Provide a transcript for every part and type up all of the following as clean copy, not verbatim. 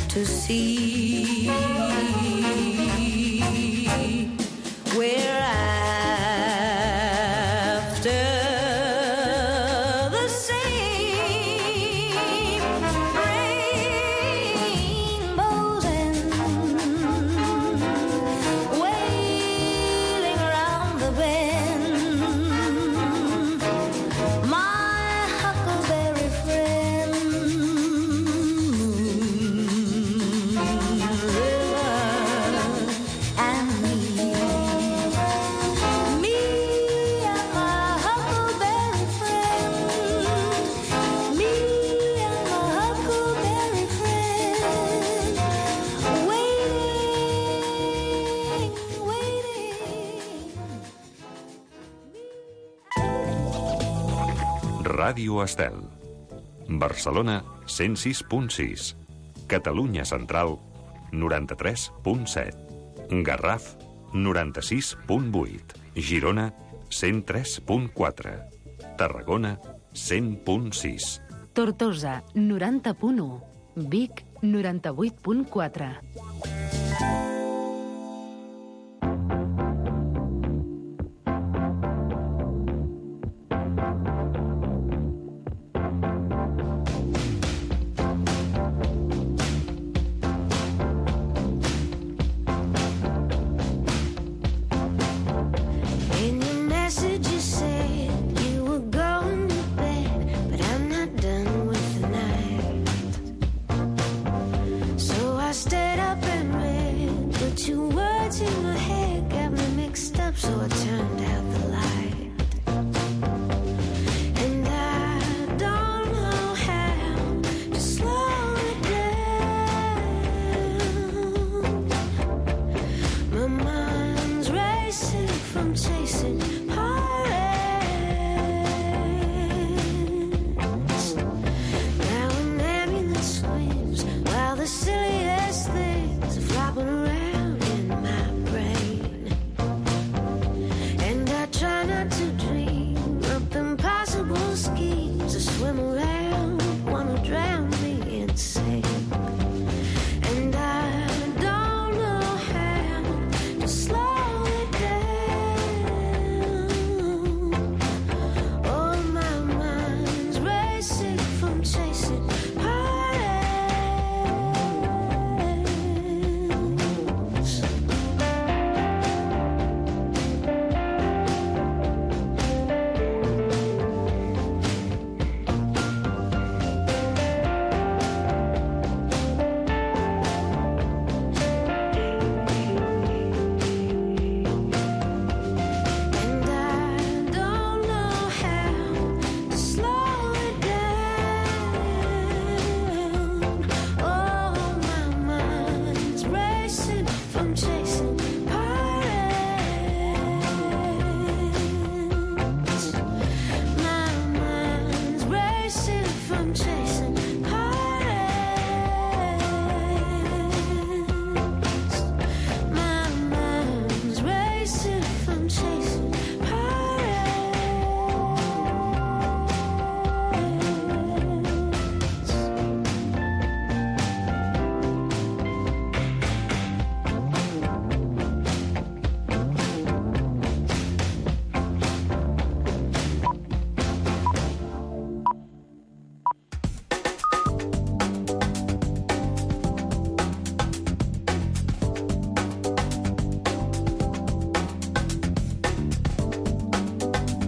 to see. We're after the same rainbows and wailing around the bend. My huckleberry friend, Ràdio Estel. Barcelona 106.6. Catalunya Central 93.7. Garraf 96.8. Girona 103.4. Tarragona 100.6. Tortosa 90.1. Vic 98.4.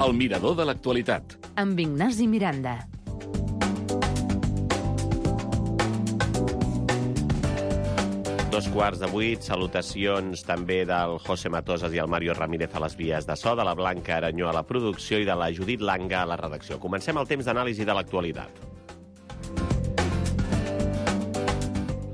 El mirador de l'actualitat. Amb Ignasi Miranda. Dos quarts de 8, salutacions també del José Matosas i el Mario Ramírez a les vies de so, de la Blanca Aranyó a la producció i de la Judit Langa a la redacció. Comencem el temps d'anàlisi de l'actualitat.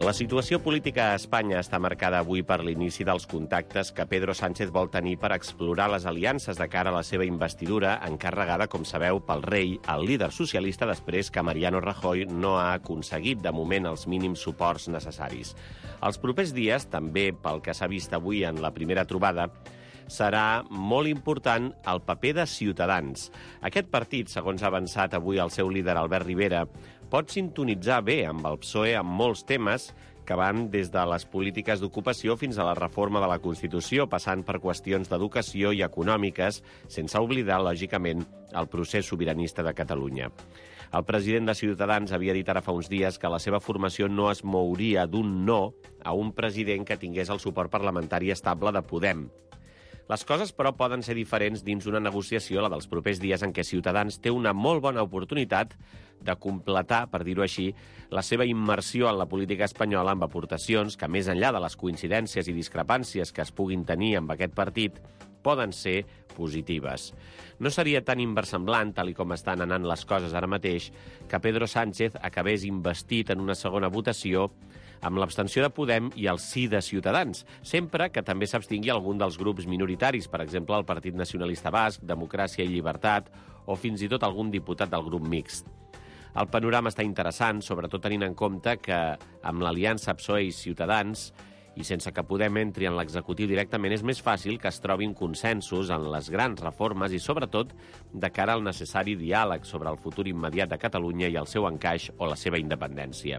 La situació política a Espanya està marcada avui per l'inici dels contactes que Pedro Sánchez vol tenir per explorar les aliances de cara a la seva investidura, encarregada, com sabeu, pel rei, el líder socialista, després que Mariano Rajoy no ha aconseguit, de moment, els mínims suports necessaris. Els propers dies, també pel que s'ha vist avui en la primera trobada, serà molt important el paper de Ciutadans. Aquest partit, segons ha avançat avui el seu líder Albert Rivera, pot sintonitzar bé amb el PSOE en molts temes que van des de les polítiques d'ocupació fins a la reforma de la Constitució, passant per qüestions d'educació i econòmiques, sense oblidar, lògicament, el procés sobiranista de Catalunya. El president de Ciutadans havia dit ara fa uns dies que la seva formació no es mouria d'un no a un president que tingués el suport parlamentari estable de Podem. Les coses, però, poden ser diferents dins una negociació, la dels propers dies, en què Ciutadans té una molt bona oportunitat de completar, per dir-ho així, la seva immersió en la política espanyola amb aportacions que, més enllà de les coincidències i discrepàncies que es puguin tenir amb aquest partit, poden ser positives. No seria tan inversemblant, tal com estan anant les coses ara mateix, que Pedro Sánchez acabés investit en una segona votació amb l'abstenció de Podem i el sí de Ciutadans, sempre que també s'abstingui algun dels grups minoritaris, per exemple, el Partit Nacionalista Basc, Democràcia i Llibertat, o fins i tot algun diputat del grup mixt. El panorama està interessant, sobretot tenint en compte que amb l'aliança PSOE i Ciutadans, i sense que Podem entri en l'executiu directament, és més fàcil que es trobin consensos en les grans reformes i, sobretot, de cara al necessari diàleg sobre el futur immediat de Catalunya i el seu encaix o la seva independència.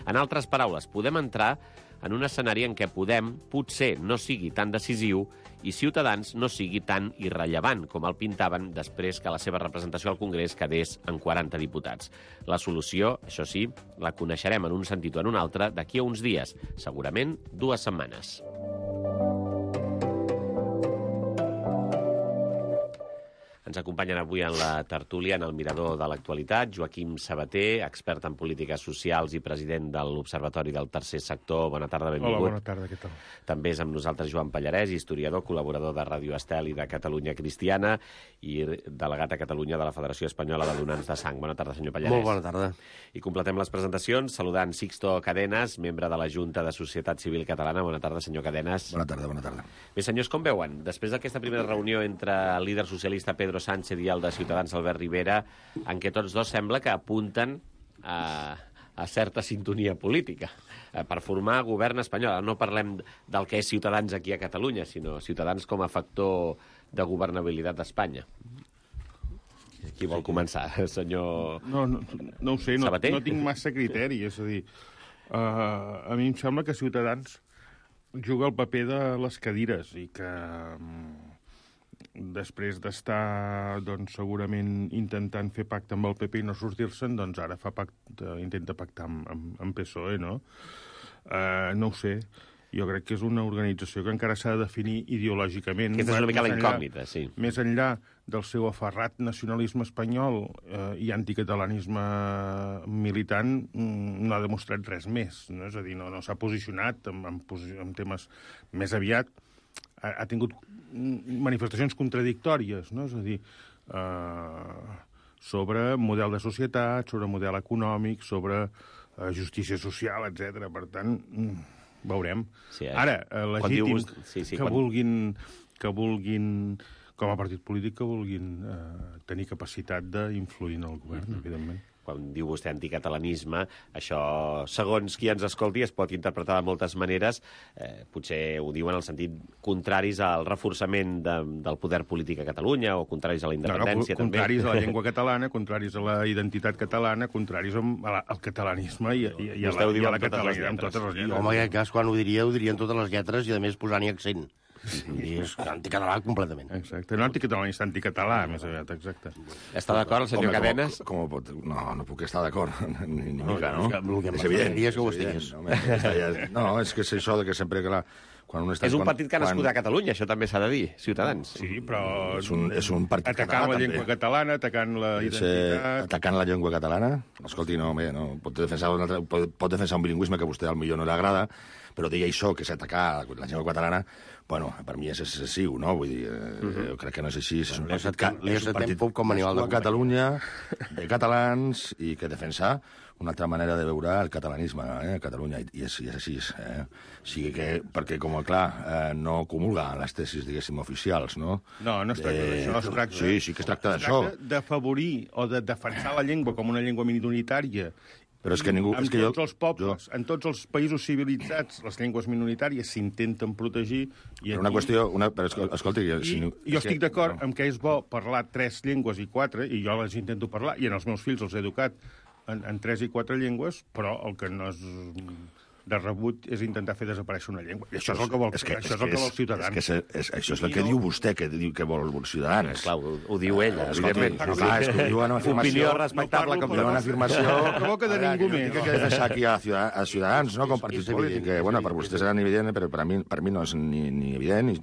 En altres paraules, podem entrar en un escenari en què Podem potser no sigui tan decisiu i Ciutadans no sigui tan irrellevant com el pintaven després que la seva representació al Congrés quedés en 40 diputats. La solució, això sí, la coneixerem en un sentit o en un altre d'aquí a uns dies, segurament 2 setmanes. Ens acompanyen avui en la tertúlia, en el mirador de l'actualitat, Joaquim Sabater, expert en polítiques socials i president de l'Observatori del Tercer Sector. Bona tarda, benvingut. Hola, bona tarda, què tal? També és amb nosaltres Joan Pallarès, historiador, col·laborador de Ràdio Estel i de Catalunya Cristiana i delegat a Catalunya de la Federació Espanyola de Donants de Sang. Bona tarda, senyor Pallarès. Molt bona tarda. I completem les presentacions saludant Sixto Cadenas, membre de la Junta de Societat Civil Catalana. Bona tarda, senyor Cadenas. Bona tarda, bona tarda. Bé, senyors, com veuen? Després d'aquesta primera reunió entre el líder socialista Pedro Sánchez i el de Ciutadans Albert Rivera, en què tots dos sembla que apunten a certa sintonia política per formar govern espanyol. No parlem del que és Ciutadans aquí a Catalunya, sinó Ciutadans com a factor de governabilitat d'Espanya. Qui vol començar, senyor No ho sé, no tinc massa criteri. És a dir, a mi em sembla que Ciutadans juga el paper de les cadires i que després d'estar segurament intentant fer pacte amb el PP i no sortir-se'n, doncs ara intenta pactar amb PSOE, no? No ho sé. Jo crec que és una organització que encara s'ha de definir ideològicament. Aquesta és una mica la incògnita, sí. Més enllà del seu aferrat nacionalisme espanyol i anticatalanisme militant, no ha demostrat res més. No? És a dir, no s'ha posicionat en temes més aviat. Ha tingut manifestacions contradictòries, no? És a dir, sobre model de societat, sobre model econòmic, sobre justícia social, etc. Per tant, veurem. Sí, ara, legítim que vulguin, com a partit polític, que vulguin tenir capacitat d'influir en el govern, evidentment. Quan diu vostè anticatalanisme, això, segons qui ens escolti, es pot interpretar de moltes maneres. Potser ho diuen en el sentit contraris al reforçament del poder polític a Catalunya o contraris a la independència. Contraris a la llengua catalana, contraris a la identitat catalana, contraris al catalanisme i a la catalanitat amb totes les lletres. Home, en aquest cas, quan ho dirien totes les lletres i, a més, posant-hi accent. I és anticatalà completament. Exacte, no anticatalà, anticatalà, més aviat, exacte. Està d'acord el senyor Cadenas? No puc estar d'acord, ni mica, no? És evident. És que ho estigués. No, és que és això de que sempre, clar, quan un està... És un partit que ha nascut a Catalunya, això també s'ha de dir, Ciutadans. Sí, però... És un partit atacant la llengua catalana, atacant la identitat... Atacant la llengua catalana? Escolti, no, pot defensar un bilingüisme que a vostè potser no li agrada, però dir això, que és atacar la llengua catalana, bueno, per mi és excessiu, no? Vull dir, crec que no és així. És un partit com manual de Catalunya, de catalans, i que defensa una altra manera de veure el catalanisme a Catalunya, i és així. O sigui que, perquè, com clar, no comulga les tesis, diguéssim, oficials, no? No es tracta d'això. Sí que es tracta d'això. Es tracta d'afavorir o de defensar la llengua com una llengua minoritària. Però és que ningú... Els pobles, en tots els països civilitzats, les llengües minoritàries s'intenten protegir. Però una qüestió... Però escolti... Jo estic d'acord amb que és bo parlar 3 llengües i 4, i jo les intento parlar, i en els meus fills els he educat en 3 i 4 llengües, però el que no és de rebut és intentar fer desaparèixer una llengua. I això és el que vol, això és el que vol Ciutadans. Això és el que diu vostè, que diu que vol Ciutadans. Clar, ho diu ella, evidentment. Clar, és que diu una afirmació... Opinió respectable com una afirmació... No provoca de ningú més. Que defensar aquí a Ciutadans, no, com partit polític, que, bueno, per vostès era evident, però per mi no és ni evident,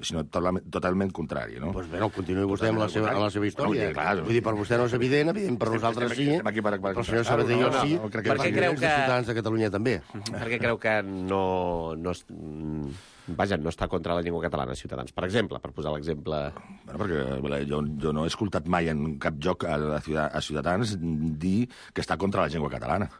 sinó totalment contrari, no? Doncs bé, no, continuï vostè amb la seva història. Vull dir, per vostè no és evident per nosaltres sí, per el senyor Sabater sí, perquè creu que... Ciutadans de Catalunya també. Perquè creu que Vaja, no està contra la llengua catalana, Ciutadans. Per exemple, per posar l'exemple... Bueno, perquè jo no he escoltat mai en cap lloc a Ciutadans dir que està contra la llengua catalana.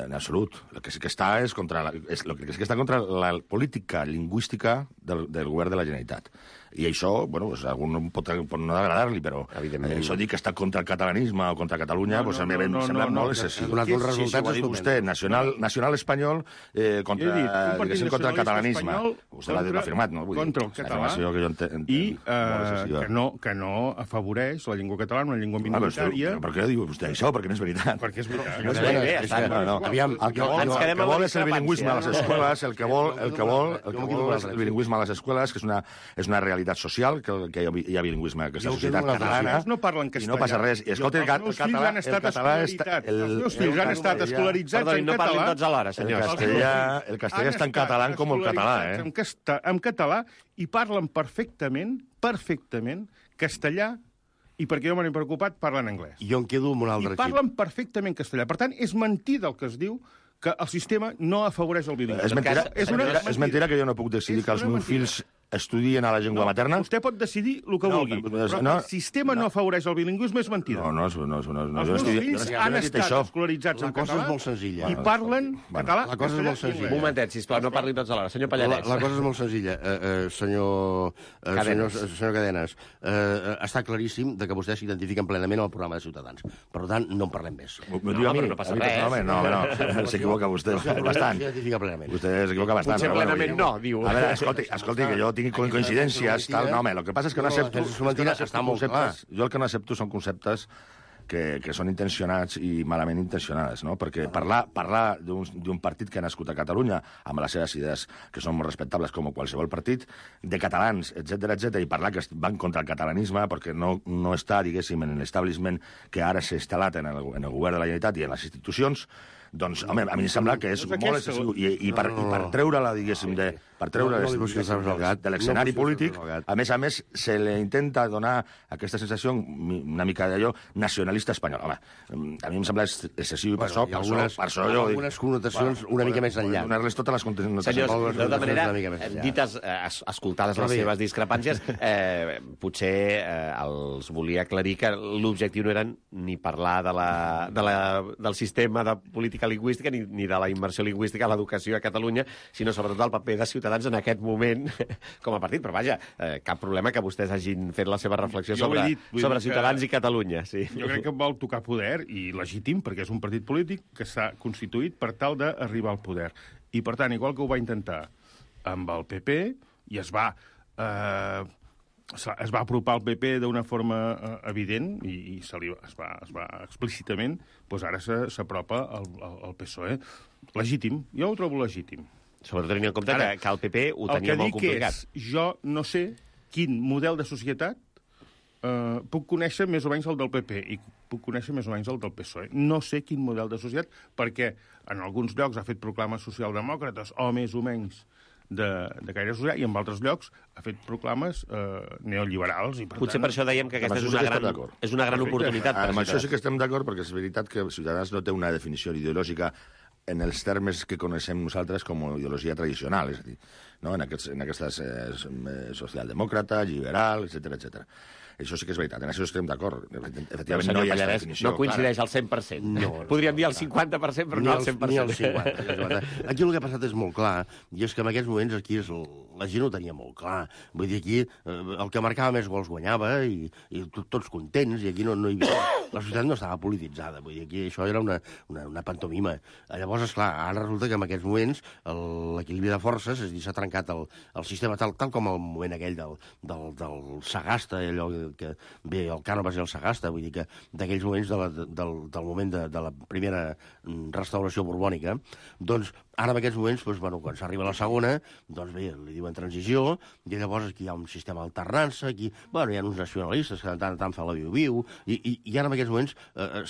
En absolut. El que sí que està és contra la política lingüística del govern de la Generalitat. I això, bueno, pues, a algun pot no agradar-li, però això dir que està contra el catalanisme o contra Catalunya, pues, a mi em sembla molt excessiu. Si ho ha dit vostè, nacional espanyol contra el catalanisme. Vostè l'ha afirmat, no? Contra el català i que no afavoreix la llengua catalana, una llengua minoritària. Per què diu vostè això? Perquè no és veritat. Perquè és veritat. Aviam, el que vol és el bilingüisme a les escoles, el que vol és el bilingüisme a les escoles, que és una realitat social, que hi ha bilingüisme a aquesta societat catalana. No parlen castellà. I no passa res. I escolta, el català... Els meus fills han estat escolaritzats en català. No parlin tots alhora, senyors. El castellà és tan català com el català, en català, i parlen perfectament castellà, i perquè jo me n'he preocupat, parlen anglès. Jo em quedo amb un altre xip. I parlen perfectament castellà. Per tant, és mentida el que es diu que el sistema no afavoreix el bilingüisme. És mentida que jo no puc decidir que els meus fills estudien a la llengua materna? Vostè pot decidir el que vulgui, però que el sistema no afavoreix el bilingüisme és mentida. No. Els meus fills han estat escolaritzats en català i parlen català. La cosa és molt senzilla. Un momentet, sisplau, no parlin tots alhora. Senyor Pallarès. La cosa és molt senzilla. Senyor Cadenes, està claríssim que vostès s'identifiquen plenament al programa de Ciutadans. Per tant, no en parlem més. No passa res. No, s'equivoca vostè bastant. S'identifica plenament. Vostè s'equivoca bastant. Potser plenament no, diu. A veure, escolti, que jo tinc coincidències, tal. No, home, el que passa és que no accepto... Jo el que no accepto són conceptes que són intencionats i malament intencionats, no? Perquè parlar d'un partit que ha nascut a Catalunya amb les seves idees, que són molt respectables com qualsevol partit, de catalans, etc, i parlar que van contra el catalanisme perquè no està, diguéssim, en l'establishment que ara s'ha instal·lat en el govern de la Generalitat i en les institucions, doncs, home, a mi em sembla que és molt excessiu. I per treure-la, diguéssim, per treure-la de l'escenari polític, a més, se li intenta donar aquesta sensació una mica d'allò nacionalista espanyol. Home, a mi em sembla excessiu i per això jo... Algunes connotacions una mica més enllà. Donar-les totes les connotacions. Senyors, de tota manera, dites, escoltades les seves discrepàncies, potser els volia aclarir que l'objectiu no era ni parlar del sistema de política lingüística ni de la immersió lingüística a l'educació a Catalunya, sinó sobretot el paper de Ciutadans en aquest moment com a partit. Però vaja, cap problema que vostès hagin fet la seva reflexió sobre Ciutadans i Catalunya. Sí. Jo crec que vol tocar poder, i legítim, perquè és un partit polític que s'ha constituït per tal d'arribar al poder. I, per tant, igual que ho va intentar amb el PP, i es va apropar al PP d'una forma evident i es va explícitament, doncs ara s'apropa al PSOE. Legítim. Jo ho trobo legítim. Sobretot tenint en compte que el PP ho tenia molt complicat. El que dic és, jo no sé quin model de societat puc conèixer més o menys el del PP i puc conèixer més o menys el del PSOE. No sé quin model de societat, perquè en alguns llocs ha fet proclames socialdemòcrates o més o menys de caire social, i en altres llocs ha fet proclames neoliberals. I potser per això dèiem que aquesta és una gran oportunitat. Amb això sí que estem d'acord, perquè és veritat que Ciutadans no té una definició ideològica en els termes que coneixem nosaltres com a ideologia tradicional, és a dir, no? en aquestes socialdemòcrata, liberal, etc. Això sí que és veritat, en això estem d'acord. Efectivament, no hi ha definició. No coincideix al 100%. No. Podríem dir al 50%, però no al 100%. Ni al 50%. Aquí el que ha passat és molt clar, i és que en aquests moments aquí la gent ho tenia molt clar. Vull dir, aquí el que marcava més gols guanyava, i tots contents, i aquí no hi havia... La societat no estava polititzada, vull dir, aquí això era una pantomima. Llavors, esclar, ara resulta que en aquests moments l'equilibri de forces, és a dir, s'ha trencat el sistema tal com el moment aquell del Sagasta, allò que bé, el Cànovas i el Sagasta, vull dir que d'aquells moments del moment de la primera restauració borbònica, doncs Ara, en aquests moments, doncs, bueno, quan s'arriba a la segona, doncs bé, li diuen transició, i llavors aquí hi ha un sistema d'alternança, aquí, bueno, hi ha uns nacionalistes que de tant en tant fa la viu-viu, i ara en aquests moments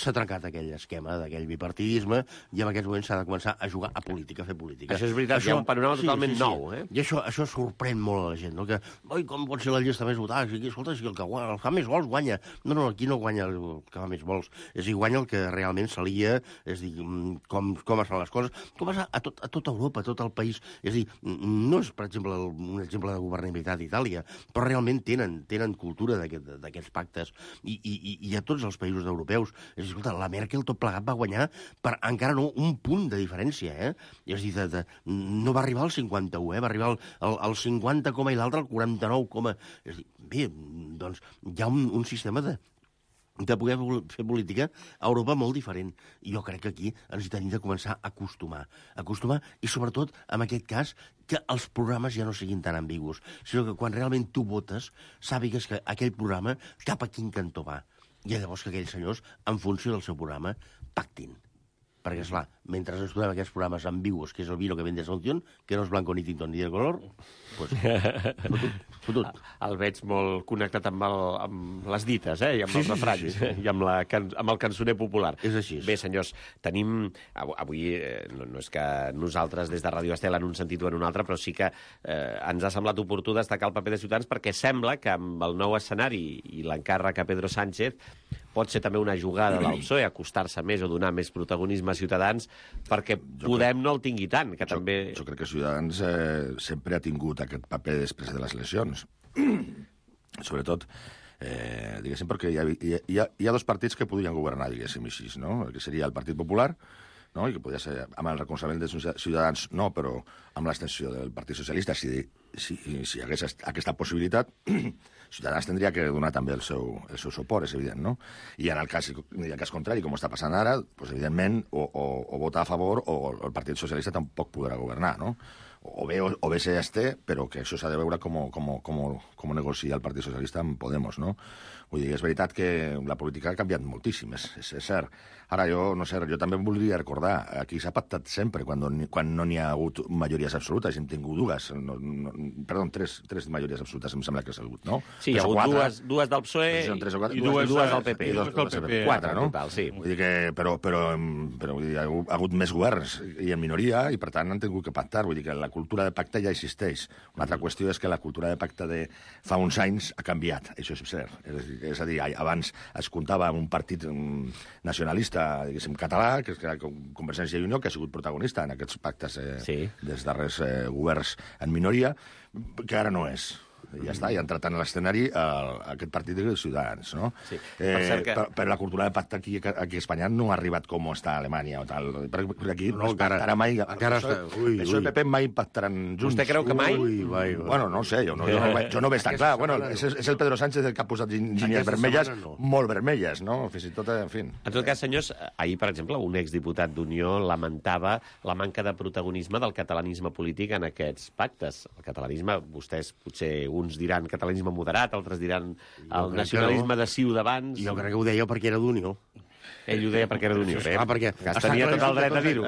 s'ha trencat aquell esquema d'aquell bipartidisme, i en aquests moments s'ha de començar a jugar a política, a fer política. Això és veritat, hi ha un panorama totalment nou, eh? I això sorprèn molt a la gent, no? Que, oi, com pot ser la llista més votada? Aquí, escolta, si el que fa més gols guanya. No, aquí no guanya el que fa més gols, és a dir, guanya el que realment s'alia, és a dir, com es fan les coses, com passa a tota Europa, a tot el país. És a dir, no és, per exemple, un exemple de governabilitat d'Itàlia, però realment tenen cultura d'aquests pactes, i a tots els països europeus. És a dir, escolta, la Merkel tot plegat va guanyar per encara no un punt de diferència, eh? És a dir, no va arribar al 51, va arribar al 50, i l'altre al 49, És a dir, bé, doncs hi ha un sistema de poder fer política a Europa molt diferent. I jo crec que aquí ens hi tenim de començar a acostumar, i sobretot, en aquest cas, que els programes ja no siguin tan ambigus, sinó que quan realment tu votes, sàpigues que aquell programa cap a quin cantó va. I llavors que aquells senyors, en funció del seu programa, pactin. Perquè, esclar, mentre estudem aquests programes ambigus, que és el vino que vende Asunción, que no és blanco ni tinto ni de color, doncs fotut. El veig molt connectat amb les dites, i amb els refranys, i amb el cançoner popular. És així. Bé, senyors, tenim... Avui no és que nosaltres des de Ràdio Estel en un sentit o en un altre, però sí que ens ha semblat oportú destacar el paper de Ciutadans, perquè sembla que amb el nou escenari i l'encàrrec a Pedro Sánchez pot ser també una jugada del PSOE acostar-se més o donar més protagonisme a Ciutadans perquè Podem no el tingui tant, que també... Jo crec que Ciutadans sempre ha tingut aquest paper després de les eleccions. Sobretot, diguéssim, perquè hi ha dos partits que podrien governar, diguéssim així, no? Que seria el Partit Popular, no? I que podria ser amb el recolzament de Ciutadans, no, però amb l'extensió del Partit Socialista, si hi hagués aquesta possibilitat, Ciutadans tindria que donar també el seu suport, és evident, no? I en el cas contrari, com està passant ara, doncs, evidentment, o votar a favor o el Partit Socialista tampoc podrà governar, no? O bé s'esté, però que això s'ha de veure com negocia el Partit Socialista amb Podemos, no? Vull dir, és veritat que la política ha canviat moltíssim, és cert. Ara, no sé, jo també voldria recordar, aquí s'ha pactat sempre, quan no n'hi ha hagut majories absolutes, hem tingut dues, tres majories absolutes, em sembla que s'ha hagut, no? Sí, hi ha hagut dues del PSOE i dues del PP. I dues del PP. Quatre, no? Sí. Vull dir que, però vull dir, ha hagut més governs i en minoria, i per tant han tingut que pactar. Vull dir que la cultura de pacte ja existeix. Una altra qüestió és que la cultura de pacte de fa uns anys ha canviat, això és cert. És a dir, abans es comptava amb un partit nacionalista, diguéssim, català, que és Convergència i Unió, que ha sigut protagonista en aquests pactes dels darrers governs en minoria, que ara no és. Ja està, i ha entrat en l'escenari aquest partit de Ciutadans, no? Sí. Però la cultura de pacte aquí a Espanya no ha arribat com està a Alemanya o tal. Per aquí no es pactarà mai. Això i PP mai pactaran junts. Vostè creu que mai? Bueno, no sé, jo no veig tan clar. Bueno, és el Pedro Sánchez el que ha posat línies vermelles, molt vermelles, no? Fins i tot, en fi. En tot cas, senyors, ahir, per exemple, un exdiputat d'Unió lamentava la manca de protagonisme del catalanisme polític en aquests pactes. El catalanisme, vostès potser uns diran catalanisme moderat, altres diran el nacionalisme de Ciutadans. Jo crec que ho deia perquè era d'Unió. Ell ho deia perquè era d'Unió. Perquè tenia tot el dret a dir-ho.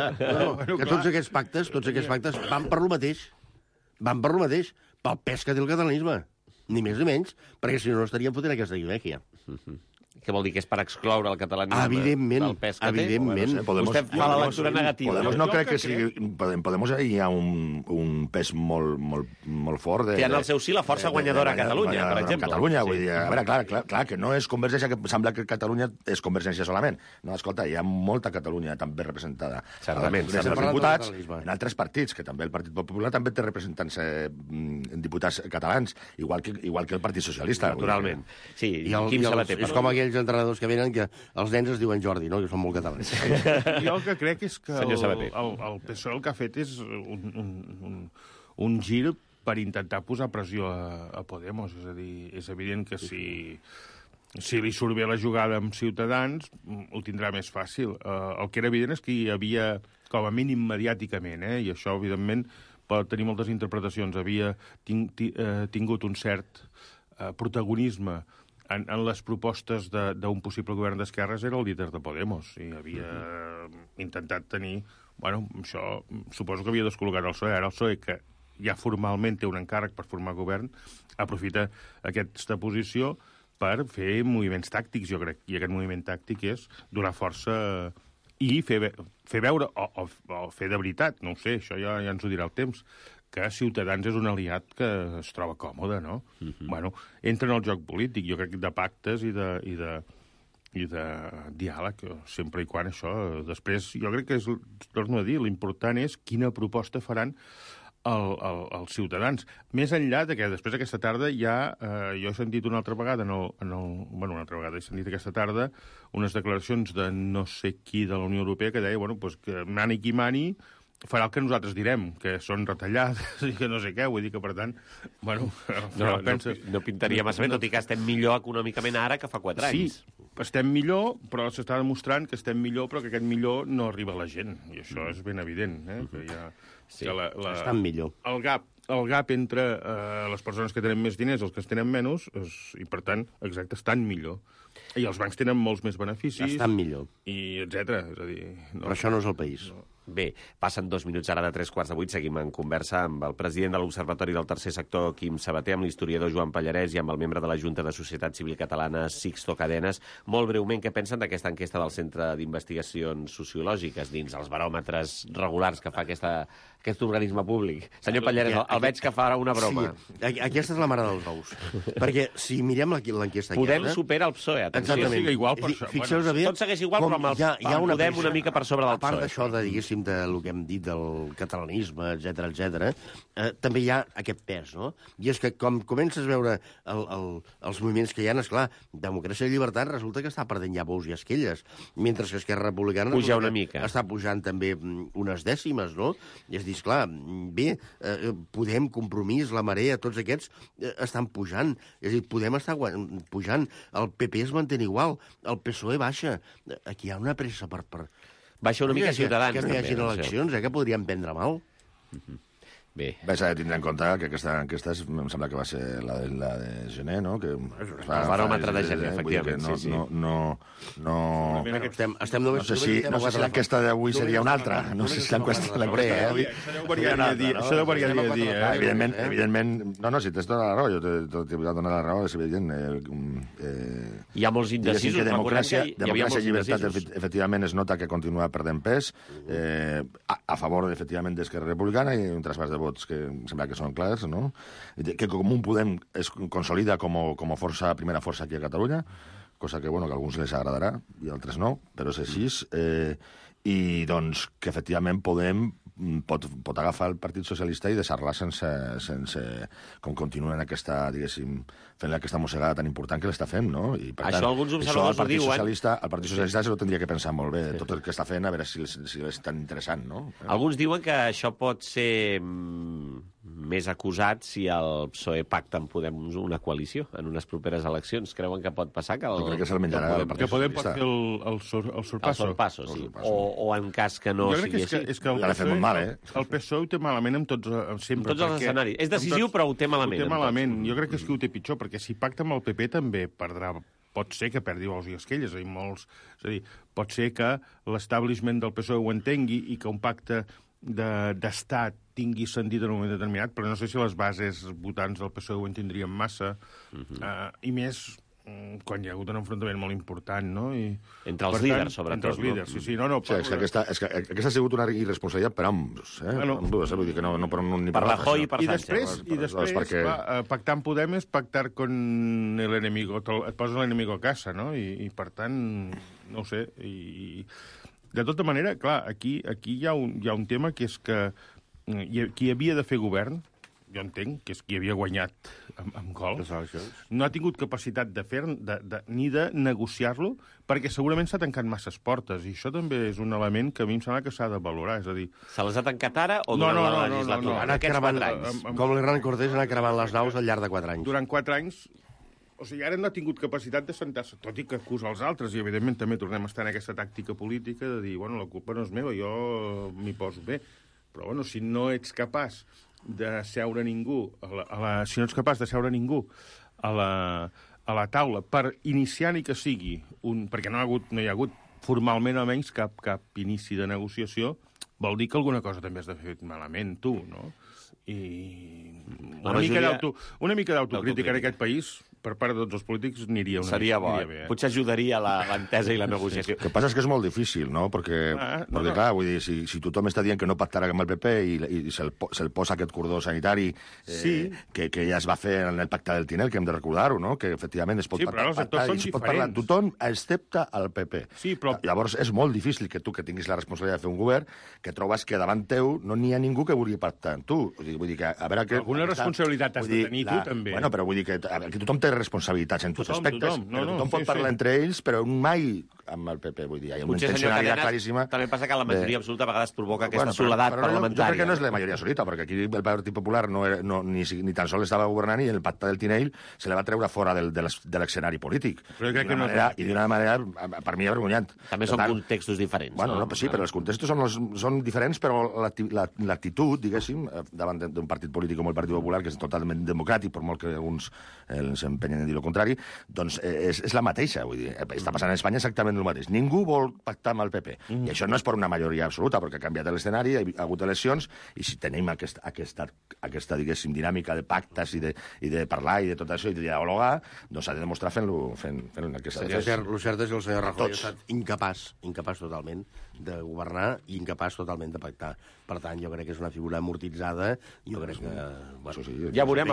Que tots aquests pactes van per lo mateix. Van per lo mateix, pel pes que té el catalanisme. Ni més ni menys, perquè si no estaríem fotent aquesta guilèquia. Què vol dir, que és per excloure el catalanisme del pes que té? Evidentment. Vostè fa la lectura negativa. Podemos no crec que sigui... Podemos hi ha un pes molt fort. Té en el seu sí la força guanyadora a Catalunya, per exemple. Catalunya, vull dir, a veure, clar, que no és Convergència, que sembla que Catalunya és Convergència solament. No, escolta, hi ha molta Catalunya també representada. Certament. Des dels diputats, en altres partits, que també el Partit Popular també té representants diputats catalans, igual que el Partit Socialista. Naturalment. Sí, Quim Sabater. És com aquells entrenadors que venen que els nens es diuen Jordi, no? Que són molt catalans. Jo el que crec és que el PSOE el que ha fet és un gir per intentar posar pressió a Podemos. És a dir, és evident que si li surt bé la jugada amb Ciutadans, ho tindrà més fàcil. El que era evident és que hi havia, com a mínim mediàticament, i això, evidentment, pot tenir moltes interpretacions, havia tingut un cert protagonisme en les propostes d'un possible govern d'esquerres, era el líder de Podemos i havia intentat tenir Bueno, això suposo que havia descol·locat el PSOE. Ara el PSOE, que ja formalment té un encàrrec per formar govern, aprofita aquesta posició per fer moviments tàctics, jo crec. I aquest moviment tàctic és donar força i fer veure, o fer de veritat, no ho sé, això ja ens ho dirà el temps, que Ciutadans és un aliat que es troba còmode, no? Bueno, entra en el joc polític, jo crec, de pactes i de diàleg, sempre i quan això... Després, jo crec que, torno a dir, l'important és quina proposta faran els ciutadans. Més enllà de que després aquesta tarda ja... jo he sentit una altra vegada, una altra vegada he sentit aquesta tarda unes declaracions de no sé qui de la Unió Europea que deia, bueno, pues que mani qui mani farà el que nosaltres direm, que són retallades i que no sé què, vull dir que, per tant, bueno... No pintaria massa bé, tot i que estem millor econòmicament ara que fa 4 anys. Sí, estem millor, però s'està demostrant que estem millor, però que aquest millor no arriba a la gent, i això és ben evident, que hi ha... Sí, estan millor. El gap entre les persones que tenen més diners i els que tenen menys, i per tant, exacte, estan millor. I els bancs tenen molts més beneficis. Estan millor. I etcètera. És a dir, però això no és el país. No. Bé, passen 2 minuts ara de 7:45. Seguim en conversa amb el president de l'Observatori del Tercer Sector, Quim Sabater, amb l'historiador Joan Pallarès i amb el membre de la Junta de Societat Civil Catalana, Sixto Cadenes. Molt breument, què pensen d'aquesta enquesta del Centre d'Investigacions Sociològiques dins els baròmetres regulars que fa aquest organisme públic? Senyor Pallarès, el veig que farà una broma. Sí, aquesta és la mare dels ous. Perquè si mirem l'enquesta aquesta... Podem superar el PSOE, atenció. Exactament. Igual per fixeu-vos bé... Tot segueix igual, però amb el Podem una mica per sobre del PSOE. A part d'això, diguéssim, del que hem dit del catalanisme, etc, també hi ha aquest pes, no? I és que com comences a veure els moviments que hi ha, esclar, democràcia i llibertat resulta que està perdent ja bous i esquelles, mentre que Esquerra Republicana puja una mica. Està pujant també unes dècimes, no? I és dir, esclar, bé, Podem, Compromís, la Marea, tots aquests estan pujant. És a dir, Podem està pujant, el PP es manté igual, el PSOE baixa. Aquí hi ha una pressa per... Baixa una mica Ciutadans. Que no hi hagin eleccions, que podríem prendre mal. Bé. S'ha de tindre en compte que aquesta enquesta em sembla que va ser la de gener, no? Que el baròmetre de gener, efectivament. Estem només... No sé si l'enquesta d'avui seria una altra. No sé si l'enquesta de l'avui... Això deu variar dia a dia. Evidentment... No, si tens tota la raó, jo t'he donat la raó, és evident. Hi ha molts indecisos. Democràcia i llibertat, efectivament, es nota que continua perdent pes a favor, efectivament, d'Esquerra Republicana i un traspàs de vots que em sembla que són clars, no? Que com un Podem es consolida com a primera força aquí a Catalunya, cosa que, bueno, que a alguns les agradarà i a altres no, però és així. I, doncs, que efectivament Podem pot agafar el Partit Socialista i deixar-la sense com continuen aquesta, diguéssim, fent aquesta mossegada tan important que l'està fent, no? I, per tant, alguns observadors ho diuen. El Partit Socialista se ho tindria que pensar molt bé, tot el que està fent, a veure si és tan interessant, no? Alguns diuen que això pot ser més acusat si el PSOE pacta amb Podem una coalició en unes properes eleccions. Creuen que pot passar? Jo crec que se'l menjarà el Partit Podem pot fer el sorpasso. El sorpasso, sí. O en cas que no sigui així. És que el PSOE ho té malament amb tots els escenaris. És decisiu, però ho té malament. Ho té malament. Jo crec que és que ho té pitjor, perquè si pacta amb el PP també perdrà. Pot ser que perdi ous i esquelles. És a dir, pot ser que l'establishment del PSOE ho entengui i que un pacte d'estat tingui sentit en un moment determinat, però no sé si les bases votants del PSOE ho entendrien massa, i més quan hi ha hagut un enfrontament molt important, no? Entre els líders, sobretot. Entre els líders, sí. És que aquesta ha sigut una irresponsabilitat per ambs, vull dir que no per un ni per l'altre. Per Rajoy i per Sánchez. I després, pactar amb Podem és pactar con el enemigo, et poses l'enemigo a casa, no? I per tant, no ho sé, de tota manera, clar, aquí hi ha un tema que és que qui havia de fer govern, jo entenc que és qui havia guanyat amb gol, no ha tingut capacitat de fer ni de negociar-lo, perquè segurament s'ha tancat masses portes, i això també és un element que a mi em sembla que s'ha de valorar, és a dir... Se les ha tancat ara o durant la legislatura? En aquests 4 anys. Com l'Hernán Cortés ha anat cremant les naus al llarg de 4 anys. Durant 4 anys... O sigui, ara no ha tingut capacitat de sentar-se, tot i que acusa els altres, i evidentment també tornem a estar en aquesta tàctica política de dir, bueno, la culpa no és meva, jo m'hi poso bé. Però, bueno, si no ets capaç de seure ningú, si no ets capaç de seure ningú a la taula per iniciar ni que sigui, perquè no hi ha hagut formalment almenys cap inici de negociació, vol dir que alguna cosa també has de fer malament, tu, no? I una mica d'autocrítica en aquest país per part de tots els polítics aniria bo. Bé. Potser ajudaria l'entesa i la negociació. El que passa és que és molt difícil, no? Perquè clar, vull dir, si tothom està dient que no pactarà amb el PP i se'l posa aquest cordó sanitari que ja es va fer en el pacte del Tinel, que hem de recordar-ho, no? Que efectivament es pot però els actors són diferents. Parlar tothom excepte el PP. Sí, però... Llavors és molt difícil que tu, que tinguis la responsabilitat de fer un govern, que trobes que davant teu no n'hi ha ningú que vulgui pactar amb tu. Vull dir que, a veure... Alguna responsabilitat has de tenir tu, també. Bueno, però vull dir que tothom té responsabilitats en tots aspectes. Tothom pot parlar entre ells, però mai amb el PP, vull dir. Hi ha una intencionalitat claríssima. També passa que la majoria absoluta a vegades provoca aquesta soledat parlamentària. Jo crec que no és la majoria absoluta, perquè aquí el Partit Popular ni tan sols estava governant i el pacte del Tinell se la va treure fora de l'escenari polític. I d'una manera, per mi, avergonyant. També són contextos diferents. Bueno, sí, però els contextos són diferents, però l'actitud, diguéssim, davant d'un partit polític com el Partit Popular, que és totalment democràtic, per molt que alguns s'empenyen a dir el contrari, doncs és la mateixa. Vull dir, està passant a Espanya exactament el mateix. Ningú vol pactar amb el PP. I això no és per una majoria absoluta, perquè ha canviat l'escenari, hi ha hagut eleccions, i si tenim aquesta diguéssim, dinàmica de pactes i de parlar i de tot això, i de dialogar, doncs s'ha de demostrar fent-lo en aquesta... El cert és que el senyor Rajoy ha estat incapaç totalment de governar i incapaç totalment de pactar. Per tant, jo crec que és una figura amortitzada. Jo crec que... Bueno, ja veurem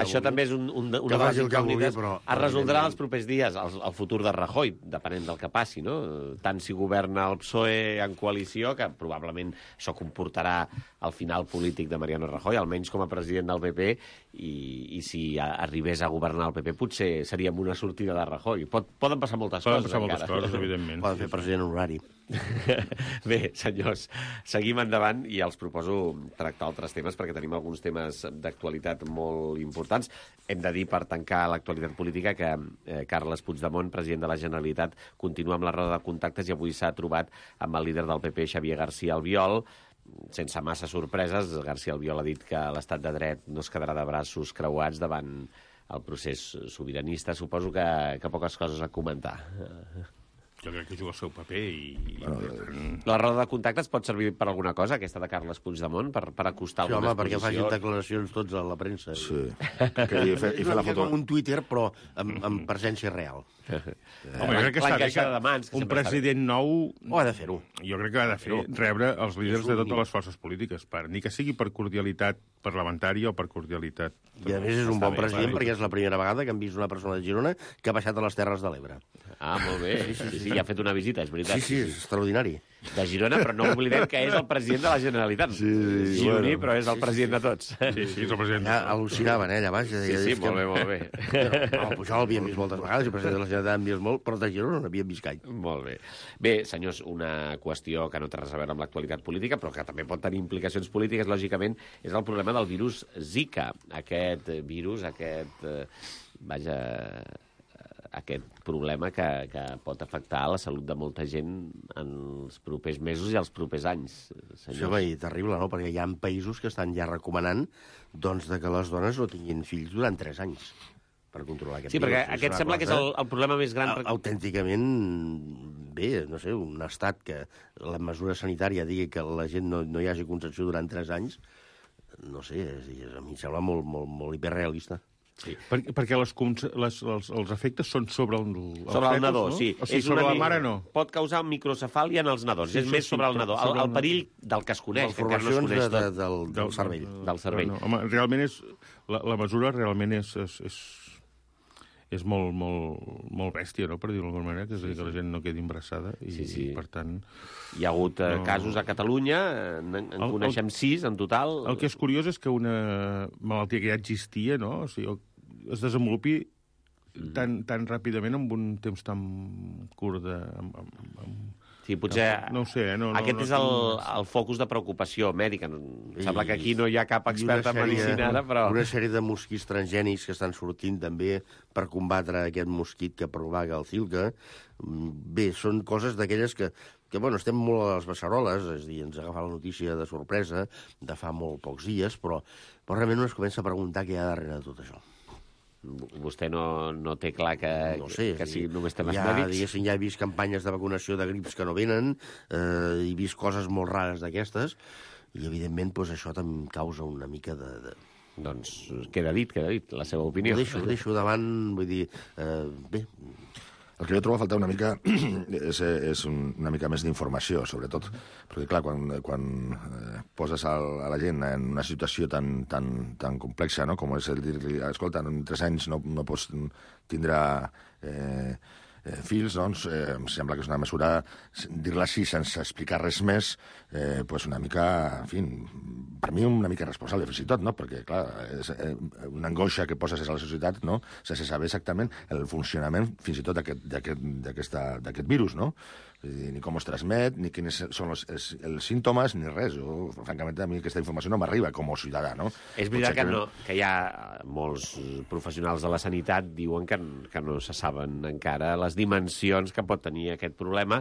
això també és una de les incògnites. Es resoldrà els propers dies el futur de Rajoy, depenent del que passi, no? Tant si governa el PSOE en coalició, que probablement això comportarà el final polític de Mariano Rajoy, almenys com a president del PP, i si arribés a governar el PP potser seria amb una sortida de Rajoy. Poden passar moltes coses, evidentment. Poden fer president honorari. Bé, senyors, seguim endavant i els proposo tractar altres temes perquè tenim alguns temes d'actualitat molt importants. Hem de dir, per tancar l'actualitat política, que Carles Puigdemont, president de la Generalitat, continua amb la roda de contactes i avui s'ha trobat amb el líder del PP, Xavier García Albiol. Sense massa sorpreses, García Albiol ha dit que l'estat de dret no es quedarà de braços creuats davant el procés sobiranista. Suposo que poques coses a comentar. Jo crec que juga el seu paper i... La roda de contactes pot servir per alguna cosa, aquesta de Carles Puigdemont, per acostar algunes posicions? Home, perquè facin declaracions tots a la premsa. Sí. I fer la foto. Com un Twitter, però amb presència real. Home, jo crec que està bé que un president nou... ha de fer-ho. Jo crec que ha de fer rebre els líders de totes les forces polítiques, ni que sigui per cordialitat parlamentària o per cordialitat... I a més és un bon president perquè és la primera vegada que hem vist una persona de Girona que ha baixat a les Terres de l'Ebre. Ah, molt bé. Sí, ha fet una visita, és veritat. Sí, és extraordinari. De Girona, però no oblidem que és el president de la Generalitat. Gironí, però és el president de tots. Sí, és el president. Ja al·lucinaven, allà baix. Sí, molt bé. El Pujol l'havíem vist moltes vegades, el president de la Generalitat l'havíem vist molt, però de Girona no havíem vist gaire. Molt bé. Bé, senyors, una qüestió que no té res a veure amb l'actualitat política, però que també pot tenir implicacions polítiques, lògicament, és el problema del virus Zika. Aquest virus, aquest problema que pot afectar la salut de molta gent en els propers mesos i els propers anys. Això és terrible, no? Perquè hi ha països que estan ja recomanant doncs, que les dones no tinguin fills durant 3 anys per controlar aquest virus. Sí, perquè aquest sembla que és el problema més gran. Autènticament, bé, no sé, un estat que la mesura sanitària digui que la gent no hi hagi concepció durant 3 anys, no sé, a mi em sembla molt hiperrealista. Sí. Perquè els efectes són sobre el nadó, no? Sí. O sigui, sobre la mare no. Pot causar microcefàlia en els nadons. És més sobre el nadó. El perill del que es coneix, que encara no es coneix tot. Del cervell. Del cervell. No, home, realment la mesura realment és molt bèstia, no?, per dir-ho d'alguna manera, que és a dir, que la gent no quedi embarassada i per tant... Hi ha hagut casos a Catalunya, en coneixem 6 en total. El que és curiós és que una malaltia que ja existia, no?, o sigui, es desenvolupi tan ràpidament en un temps tan curt de... Sí, potser no sé, aquest és el focus de preocupació mèdica. Sembla que aquí no hi ha cap expert en medicina ara, però... Una sèrie de mosquits transgènics que estan sortint també per combatre aquest mosquit que propaga el Zika. Bé, són coses d'aquelles que bueno, estem molt a les beceroles, és a dir, ens agafa la notícia de sorpresa de fa molt pocs dies, però realment no es comença a preguntar què hi ha darrere de tot això. Vostè no té clar que sigui només temes mèdics? Diguéssim, ja he vist campanyes de vacunació de grips que no venen, he vist coses molt rares d'aquestes, i evidentment això també em causa una mica de... Doncs queda dit, la seva opinió. Ho deixo davant, vull dir, bé... El que jo trobo a faltar una mica és una mica més d'informació, sobretot, perquè, clar, quan poses a la gent en una situació tan complexa, no?, com és el dir-li, escolta, en 3 anys no pots tindre fills, doncs, em sembla que és una mesura, dir-la així sense explicar res més, pues una mica, en fi, per mi una mica responsable, fins i tot, no?, perquè, clar, és una angoixa que poses a la societat, no?, sense saber exactament el funcionament, fins i tot, d'aquest virus, no?, ni com es transmet, ni quins són els símptomes, ni res. Francament, a mi aquesta informació no m'arriba com a ciutadà, no? És veritat que hi ha molts professionals de la sanitat diuen que no se saben encara les dimensions que pot tenir aquest problema.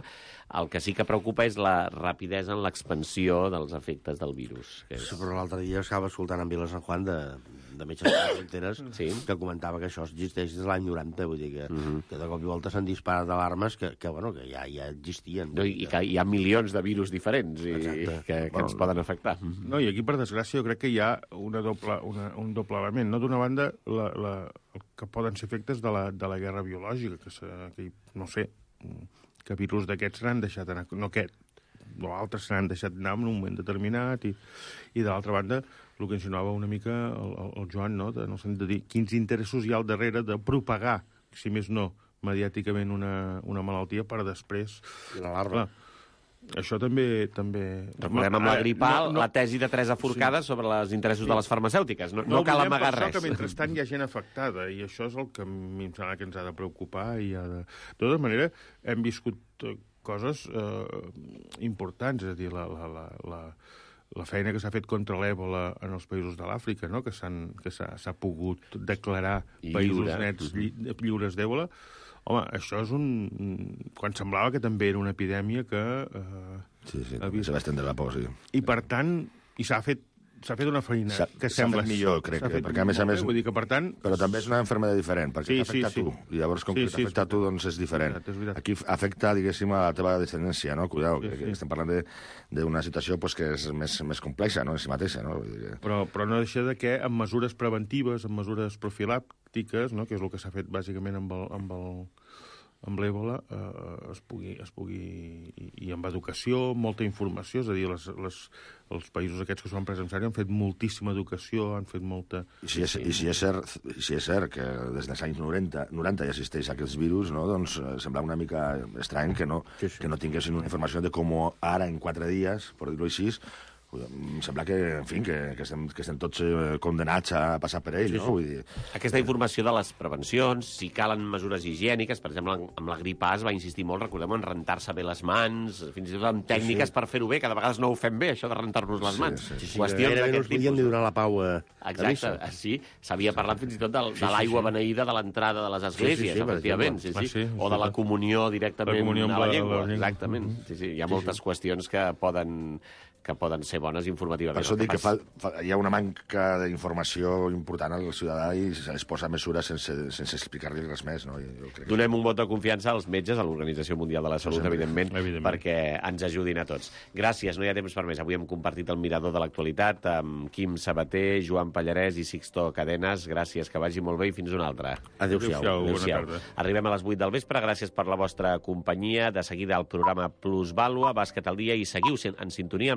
El que sí que preocupa és la rapidesa en l'expansió dels efectes del virus. Però l'altre dia estava escoltant en Vila San Juan de Metges Sense Fronteres, que comentava que això existeix des de l'any 90, vull dir que de cop i volta s'han disparat alarmes que ja existien. I que hi ha milions de virus diferents que ens poden afectar. No, i aquí, per desgràcia, jo crec que hi ha un doble element. No? D'una banda, el que poden ser efectes de la guerra biològica, que no sé, que virus d'aquests s'han deixat anar, no aquest, o altres s'han deixat anar en un moment determinat, i de l'altra banda, el que insinuava una mica el Joan, no?, en el sentit de dir quins interessos hi ha al darrere de propagar, si més no, mediàticament una malaltia per després... L'alarma. Això també... Recordem amb la grip A la tesi de Teresa Forcada sobre els interessos de les farmacèutiques. No cal amagar res. Que mentrestant hi ha gent afectada, i això és el que a mi em sembla que ens ha de preocupar. De tota manera, hem viscut coses importants, és a dir, la feina que s'ha fet contra l'èbola en els països de l'Àfrica, no?, que s'ha pogut declarar països nets lliures d'èbola. Home, això és quan semblava que també era una epidèmia que... Sí, se va estendre la por, sí. I, per tant, s'ha fet una feina que sembla... S'ha fet millor, crec, perquè a més... Vull dir que, per tant... Però també és una malaltia diferent, perquè t'afecta a tu. I llavors, com que t'afecta a tu, doncs és diferent. Aquí afecta, diguéssim, a la teva descendència, no? Cuidao, que estem parlant d'una situació que és més complexa, no?, en si mateixa, no? Però no deixa de que amb mesures preventives, amb mesures profilàctiques, no?, que és el que s'ha fet bàsicament amb l'èbola, es pugui... I amb educació, molta informació, és a dir, els països aquests que s'ho han pres en sèrio han fet moltíssima educació, han fet molta... I si és cert que des dels anys 90 ja existeix aquest virus, no? Doncs sembla una mica estrany que no tinguessin una informació de com ara, en 4 dies, per dir-ho així, em sembla que, en fi, que estem tots condenats a passar per ell, no? Vull dir... Aquesta informació de les prevencions, si calen mesures higièniques, per exemple, amb la grip A es va insistir molt, recordem, en rentar-se bé les mans, fins i tot amb tècniques per fer-ho bé, que de vegades no ho fem bé, això de rentar-nos les mans. Qüestions d'aquest tipus. Podíem donar la pau a... Exacte, sí. S'havia parlat fins i tot de l'aigua beneïda de l'entrada de les esglésies, efectivament, o de la comunió directament a la llengua. Exactament. Hi ha moltes qüestions que poden ser bones informativament. Per això dic que hi ha una manca d'informació important al ciutadà i es posa mesures sense explicar-li res més. No? Donem un vot de confiança als metges, a l'Organització Mundial de la Salut, evidentment, perquè ens ajudin a tots. Gràcies, no hi ha temps per més. Avui hem compartit el mirador de l'actualitat amb Quim Sabater, Joan Pallarès i Sixto Cadenes. Gràcies, que vagi molt bé i fins una altra. Adéu-siau. Arribem a les 8 del vespre. Gràcies per la vostra companyia. De seguida el programa Plusvàlua, Bàsquet al dia, i seguiu en sintonia